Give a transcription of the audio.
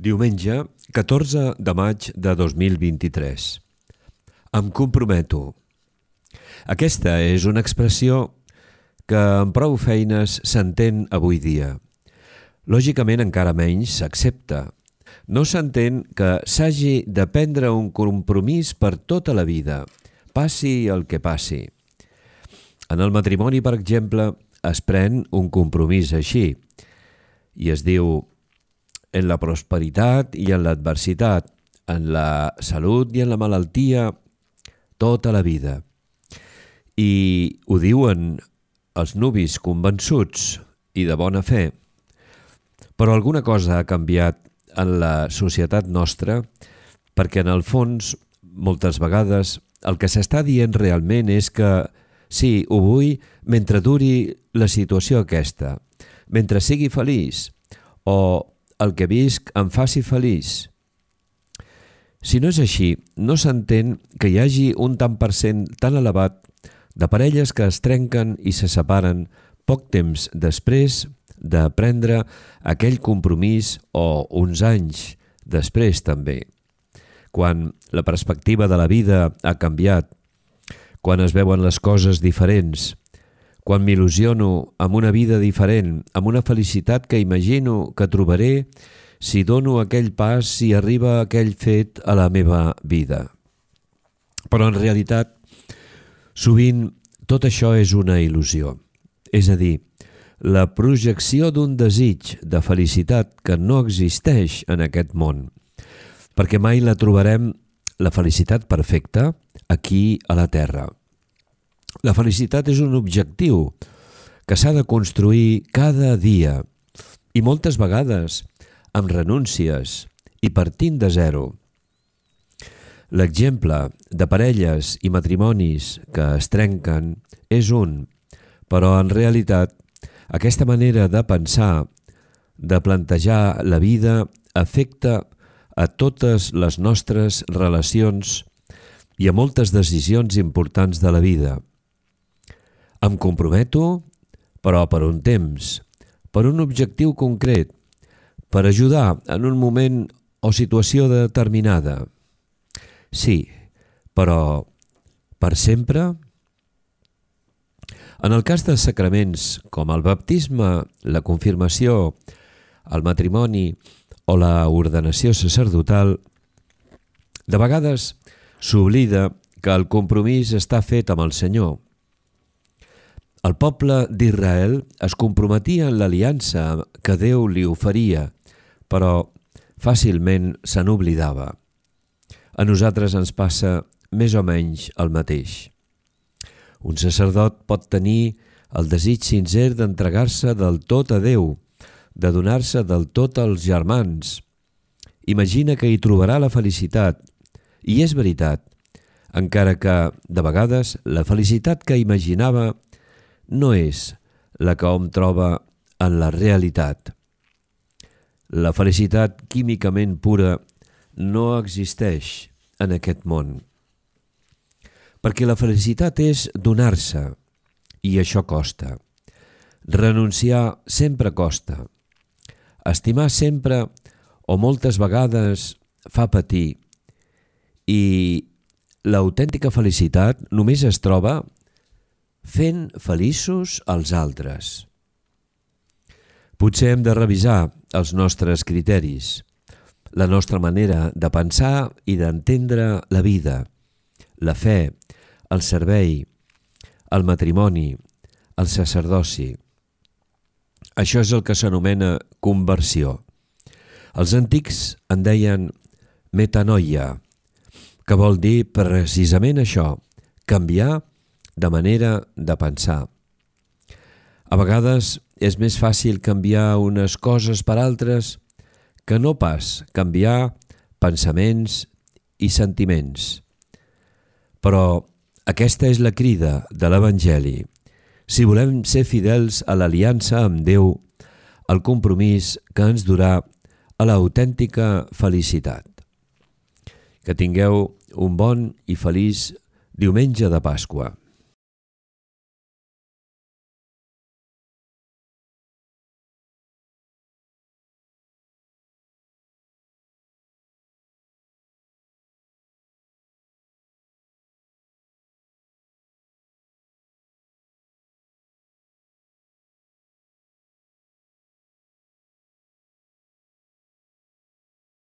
Diumenge, 14 de maig de 2023. Em comprometo. Aquesta és una expressió que amb prou feines s'entén avui dia. Lògicament encara menys s'accepta. No s'entén que s'hagi de prendre un compromís per tota la vida, passi el que passi. En el matrimoni, per exemple, es pren un compromís així i es diu: en la prosperitat i en l'adversitat, en la salut i en la malaltia, tota la vida. I ho diuen els nuvis convençuts i de bona fe. Però alguna cosa ha canviat en la societat nostra perquè en el fons, moltes vegades, el que s'està dient realment és que sí, ho vull mentre duri la situació aquesta, mentre sigui feliç, o el que visc em faci feliç. Si no és així, no s'entén que hi hagi un tant per cent tan elevat de parelles que es trenquen i se separen poc temps després de prendre aquell compromís o uns anys després també. Quan la perspectiva de la vida ha canviat, quan es veuen les coses diferents, quan m'il·lusiono amb una vida diferent, amb una felicitat que imagino que trobaré si dono aquell pas, si arriba aquell fet a la meva vida. Però en realitat, sovint tot això és una il·lusió. És a dir, la projecció d'un desig de felicitat que no existeix en aquest món, perquè mai la trobarem, la felicitat perfecta, aquí a la Terra. La felicitat és un objectiu que s'ha de construir cada dia i moltes vegades amb renúncies i partint de zero. L'exemple de parelles i matrimonis que es trenquen és un, però en realitat aquesta manera de pensar, de plantejar la vida, afecta a totes les nostres relacions i a moltes decisions importants de la vida. Em comprometo, però per un temps, per un objectiu concret, per ajudar en un moment o situació determinada. Sí, però per sempre? En el cas de sacraments com el baptisme, la confirmació, el matrimoni o la ordenació sacerdotal, de vegades s'oblida que el compromís està fet amb el Senyor. El poble d'Israel es comprometia en l'aliança que Déu li oferia, però fàcilment se n'oblidava. A nosaltres ens passa més o menys el mateix. Un sacerdot pot tenir el desig sincer d'entregar-se del tot a Déu, de donar-se del tot als germans. Imagina que hi trobarà la felicitat, i és veritat, encara que, de vegades, la felicitat que imaginava no és la que hom troba en la realitat. La felicitat químicament pura no existeix en aquest món. Perquè la felicitat és donar-se, i això costa. Renunciar sempre costa. Estimar sempre o moltes vegades fa patir. I l'autèntica felicitat només es troba fent feliços als altres. Potser hem de revisar els nostres criteris, la nostra manera de pensar i d'entendre la vida, la fe, el servei, el matrimoni, el sacerdoci. Això és el que s'anomena conversió. Els antics en deien metanoia, que vol dir precisament això, canviar de manera de pensar. A vegades és més fàcil canviar unes coses per altres que no pas canviar pensaments i sentiments. Però aquesta és la crida de l'Evangeli. Si volem ser fidels a l'aliança amb Déu, el compromís que ens durà a l'autèntica felicitat. Que tingueu un bon i feliç diumenge de Pasqua.